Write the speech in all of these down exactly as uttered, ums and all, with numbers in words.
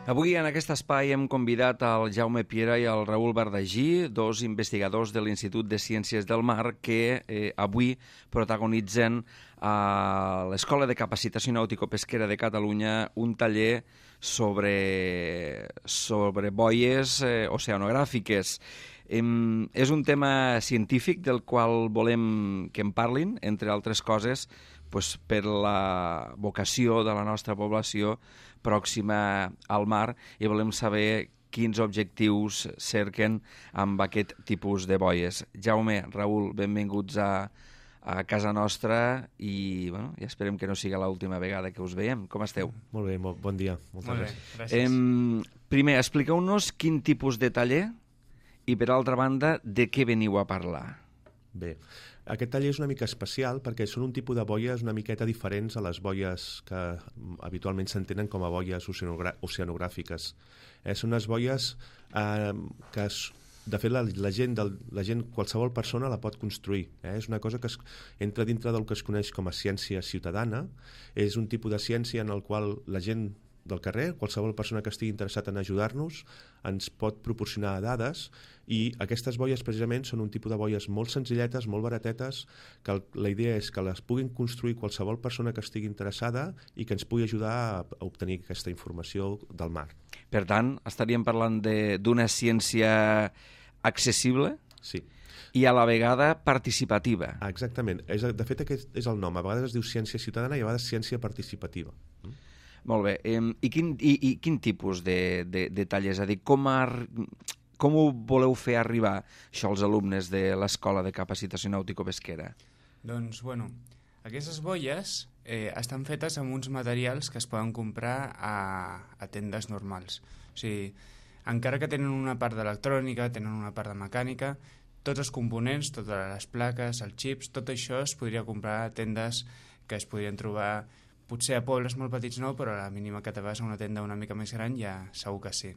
Avui en aquest espai hem convidat al Jaume Piera i al Raül Bardagí, dos investigadors de l'Institut de Ciències del Mar que eh, avui protagonitzen a l'Escola de Capacitació Nàutico-Pesquera de Catalunya un taller sobre, sobre boies eh, oceanogràfiques. Em, és un tema científic del qual volem que en parlin, entre altres coses, pues, per la vocació de la nostra població pròxima al mar, i volem saber quins objectius cerquen amb aquest tipus de boies. Jaume, Raül, benvinguts a, a casa nostra i, bueno, ja esperem que no siga l'última vegada que us veiem. Com esteu? Molt bé, molt bon dia. Moltes Molt bé, gràcies. gràcies. Em, primer, expliqueu-nos quin tipus de taller i, per altra banda, de què veniu a parlar. Bé, aquest taller és una mica especial perquè són un tipus de boies una miqueta diferents a les boies que habitualment s'entenen com a boies oceanogra oceanogràfiques. Eh, són unes boies eh, que, es, de fet, la, la, gent del, la gent, qualsevol persona la pot construir. Eh? És una cosa que es, entra dintre del que es coneix com a ciència ciutadana. És un tipus de ciència en el qual la gent del carrer, qualsevol persona que estigui interessat en ajudar-nos, ens pot proporcionar dades, i aquestes boies precisament són un tipus de boies molt senzilletes, molt baratetes, que el, la idea és que les puguin construir qualsevol persona que estigui interessada i que ens pugui ajudar a, a obtenir aquesta informació del mar. Per tant, estaríem parlant d'una ciència accessible, Sí. i a la vegada participativa. Ah, exactament. És, de fet, aquest és el nom. A vegades es diu ciència ciutadana i a vegades ciència participativa. Mm? Molt bé. I quin, i, i quin tipus de, de, de tallers? És a dir, com, ar, com ho voleu fer arribar això als alumnes de l'Escola de Capacitació Nàutico-Pesquera? Doncs, bueno, aquestes boies eh, estan fetes amb uns materials que es poden comprar a, a tendes normals. O sigui, encara que tenen una part d'electrònica, tenen una part de mecànica, tots els components, totes les plaques, els xips, tot això es podria comprar a tendes que es podrien trobar, potser a pobles molt petits no, però a la mínima que te vas a una tenda una mica més gran ja segur que sí.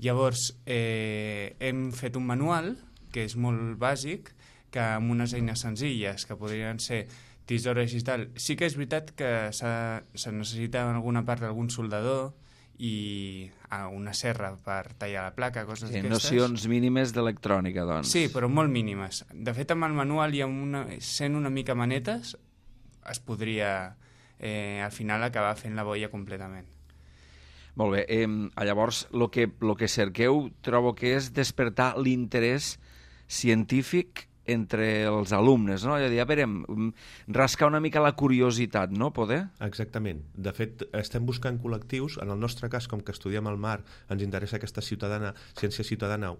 Llavors, eh, hem fet un manual, que és molt bàsic, que amb unes eines senzilles, que podrien ser tisores i tal. Sí que és veritat que se necessita en alguna part algun soldador i una serra per tallar la placa, coses Sí, d'aquestes. nocions mínimes d'electrònica, doncs. Sí, però molt mínimes. De fet, amb el manual i amb una, sent una mica manetes, es podria eh, al final acabar fent la boia completament. Molt bé. Eh, llavors, el que, lo que cerqueu trobo que és despertar l'interès científic entre els alumnes, no? Ja direm, rascar una mica la curiositat, no, poder? Exactament. De fet, estem buscant col·lectius. En el nostre cas, com que estudiem el mar, ens interessa aquesta ciutadana, ciència ciutadana,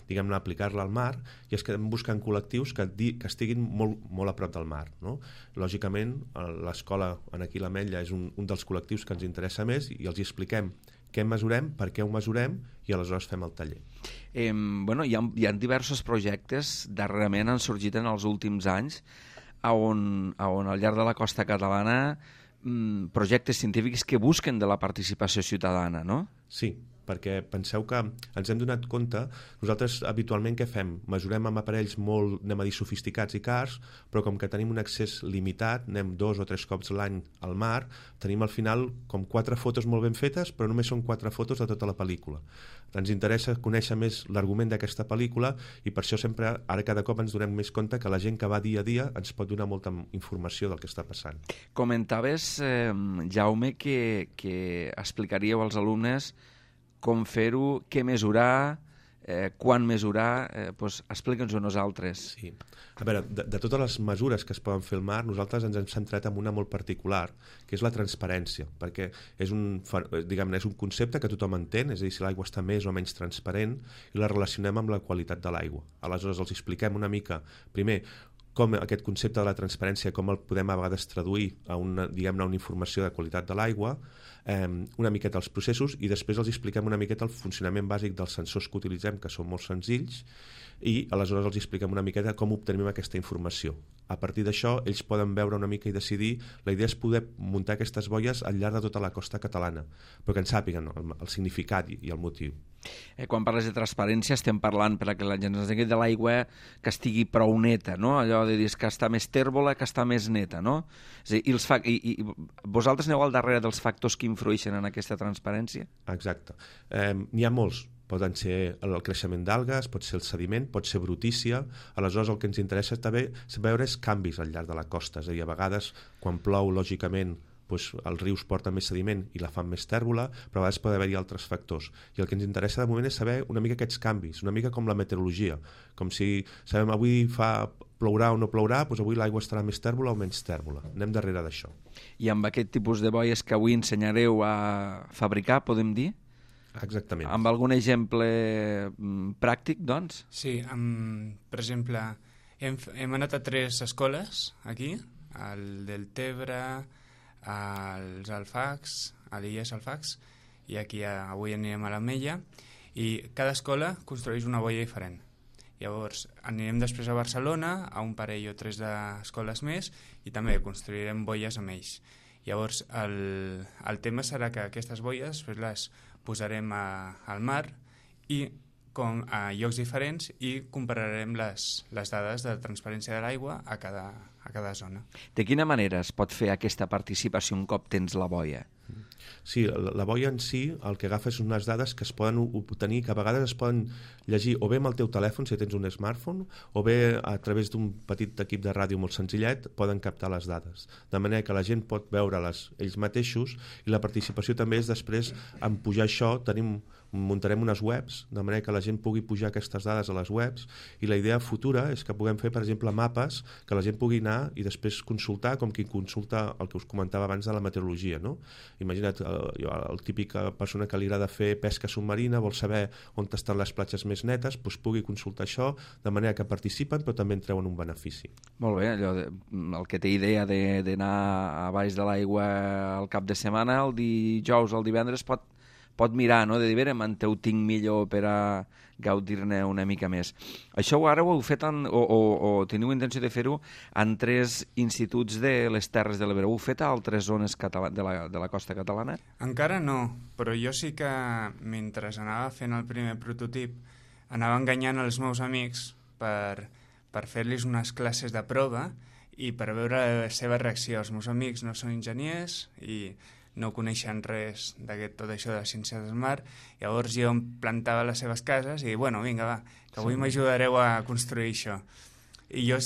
diguem-ne, aplicar-la al mar, i estem buscant col·lectius que, di, que estiguin molt, molt a prop del mar, no? Lògicament, l'escola en aquí l'Ametlla és un, un dels col·lectius que ens interessa més, i els hi expliquem què mesurem, per què ho mesurem, i aleshores fem el taller. Eh, bueno, hi ha, hi ha diversos projectes, darrerament han sorgit en els últims anys, on, on al llarg de la costa catalana mmm, projectes científics que busquen de la participació ciutadana, no? Sí, perquè penseu que ens hem donat compte, nosaltres habitualment què fem? Mesurem amb aparells molt, anem a dir, sofisticats i cars, però com que tenim un accés limitat, anem dos o tres cops l'any al mar, tenim al final com quatre fotos molt ben fetes, però només són quatre fotos de tota la pel·lícula. Ens interessa conèixer més l'argument d'aquesta pel·lícula, i per això sempre, ara cada cop ens donem més compte que la gent que va dia a dia ens pot donar molta informació del que està passant. Comentaves, eh, Jaume, que, que explicaríeu als alumnes com fer-ho, què mesurar, eh, quan mesurar, eh, doncs explica'ns-ho a nosaltres. Sí. A veure, de, de totes les mesures que es poden fer al mar, nosaltres ens hem centrat en una molt particular, que és la transparència, perquè és un, diguem-ne, és un concepte que tothom entén, és a dir, si l'aigua està més o menys transparent, i la relacionem amb la qualitat de l'aigua. Aleshores els expliquem una mica, primer, com aquest concepte de la transparència, com el podem a vegades traduir a una, diguem-ne, una informació de qualitat de l'aigua, eh, una miqueta els processos, i després els expliquem una miqueta el funcionament bàsic dels sensors que utilitzem, que són molt senzills, i aleshores els expliquem una miqueta com obtenim aquesta informació. A partir d'això, ells poden veure una mica i decidir. La idea és poder muntar aquestes boies al llarg de tota la costa catalana, però que en sàpiguen el, el significat i, i el motiu. Eh, quan parles de transparència estem parlant, per a que la gent es digui, de l'aigua que estigui prou neta, no? Allò de dir que està més tèrbola, que està més neta, no? És a dir, i els fa... I, i vosaltres aneu al darrere dels factors que influeixen en aquesta transparència? Exacte. Eh, n'hi ha molts. Poden ser el creixement d'algues, pot ser el sediment, pot ser brutícia. Aleshores, el que ens interessa també veure és canvis al llarg de la costa. És a dir, a vegades, quan plou, lògicament, doncs, els rius porten més sediment i la fan més tèrbola, però a vegades pot haver-hi altres factors. I el que ens interessa de moment és saber una mica aquests canvis, una mica com la meteorologia. Com si sabem avui fa plourà o no plourà, doncs avui l'aigua estarà més tèrbola o menys tèrbola. Anem darrere d'això. I amb aquest tipus de boies que avui ensenyareu a fabricar, podem dir? Exactament. Amb algun exemple pràctic, doncs? Sí, amb, per exemple, hem, hem anat a tres escoles aquí, al Deltebre, als Alfacs, a l'I E S Alfacs, i aquí a, avui anirem a l'Ametlla, i cada escola construeix una boia diferent. Llavors, anirem després a Barcelona, a un parell o tres d'escoles més, i també construirem boies amb ells. Llavors, el, el tema serà que aquestes boies després les posarem a, al mar i com a llocs diferents i compararem les, les dades de transparència de l'aigua a cada, a cada zona. De quina manera es pot fer aquesta participació un cop tens la boia? Sí, la, la boia en si el que agafa és unes dades que es poden obtenir, que a vegades es poden llegir o bé amb el teu telèfon, si tens un smartphone, o bé a través d'un petit equip de ràdio molt senzillet, poden captar les dades. De manera que la gent pot veure-les ells mateixos i la participació també és després en pujar això, tenim muntarem unes webs, de manera que la gent pugui pujar aquestes dades a les webs, i la idea futura és que puguem fer, per exemple, mapes que la gent pugui anar i després consultar, com qui consulta el que us comentava abans de la meteorologia, no? Imagina't el, el típic persona que li agrada fer pesca submarina, vol saber on estan les platges més netes, doncs pugui consultar això, de manera que participen però també en treuen un benefici. Molt bé, allò de, el que té idea d'anar a baix de l'aigua al cap de setmana, el dijous o el divendres pot pot mirar, no?, de dir, veure, me'n ho tinc millor per a gaudir-ne una mica més. Això ara ho heu fet en, o, o, o teniu intenció de fer-ho en tres instituts de les Terres de l'Ebre. Ho heu fet a altres zones catala de, la, de la costa catalana? Encara no, però jo sí que mentre anava fent el primer prototip anava enganyant els meus amics per, per fer-los unes classes de prova i per veure la seva reacció. Els meus amics no són enginyers i no coneixen res d'aquest tot això de la ciència del mar, llavors jo em plantava a les seves cases i, bueno, vinga, va, que avui sí. m'ajudareu a construir això. I jo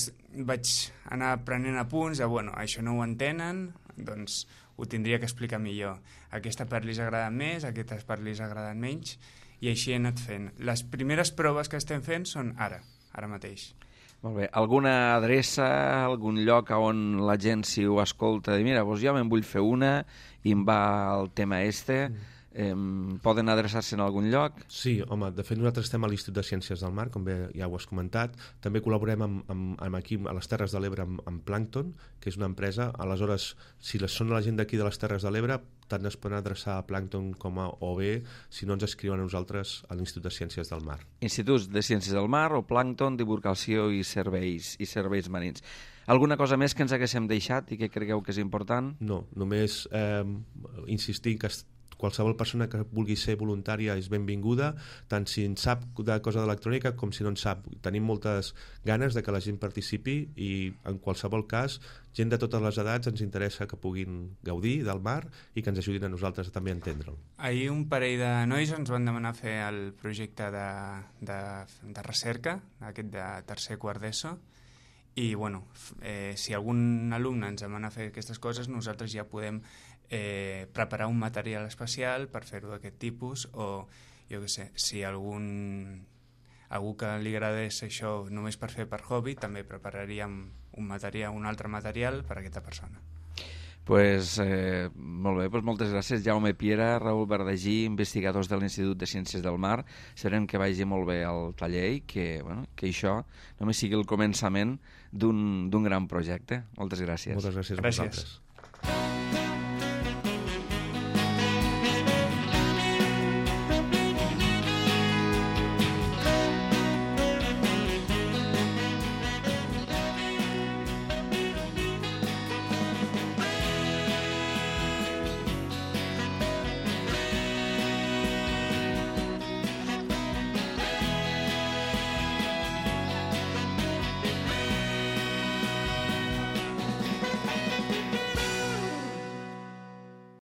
vaig anar prenent apunts de, bueno, això no ho entenen, doncs ho tindria que explicar millor. Aquesta part li agrada més, aquesta part li agrada menys, i així he anat fent. Les primeres proves que estem fent són ara, ara mateix. Molt bé. Alguna adreça, algun lloc on la gent, si ho escolta, dir, mira, doncs jo me'n vull fer una i em va el tema este, eh, poden adreçar-se en algun lloc? Sí, home, de fet nosaltres estem a l'Institut de Ciències del Mar, com bé ja ho has comentat, també col·laborem amb, amb, amb aquí a les Terres de l'Ebre amb, amb Plankton, que és una empresa, aleshores, si les són la gent d'aquí de les Terres de l'Ebre, tant es poden adreçar a Plankton com a O B, si no ens escriuen a nosaltres a l'Institut de Ciències del Mar. Instituts de Ciències del Mar o Plankton, Divulgació i Serveis, i serveis Marins. Alguna cosa més que ens haguéssim deixat i que cregueu que és important? No, només eh, insistir que qualsevol persona que vulgui ser voluntària és benvinguda, tant si en sap de cosa d'electrònica com si no en sap. Tenim moltes ganes de que la gent participi i en qualsevol cas, gent de totes les edats ens interessa que puguin gaudir del mar i que ens ajudin a nosaltres també a entendre'l. Ahir un parell de nois ens van demanar fer el projecte de, de, de recerca, aquest de tercer quart d'ESO, i bueno, eh, si algun alumne ens demana fer aquestes coses, nosaltres ja podem eh, preparar un material especial per fer-ho d'aquest tipus, o jo què sé, si algun algú que li agradés això només per fer per hobby, també prepararíem un material, un altre material per a aquesta persona. Pues, eh, molt bé, pues moltes gràcies, Jaume Piera, Raül Verdagí, investigadors de l'Institut de Ciències del Mar. Esperem que vagi molt bé el taller i que, bueno, que això només sigui el començament d'un gran projecte. Moltes gràcies. Moltes gràcies a gràcies. vosaltres.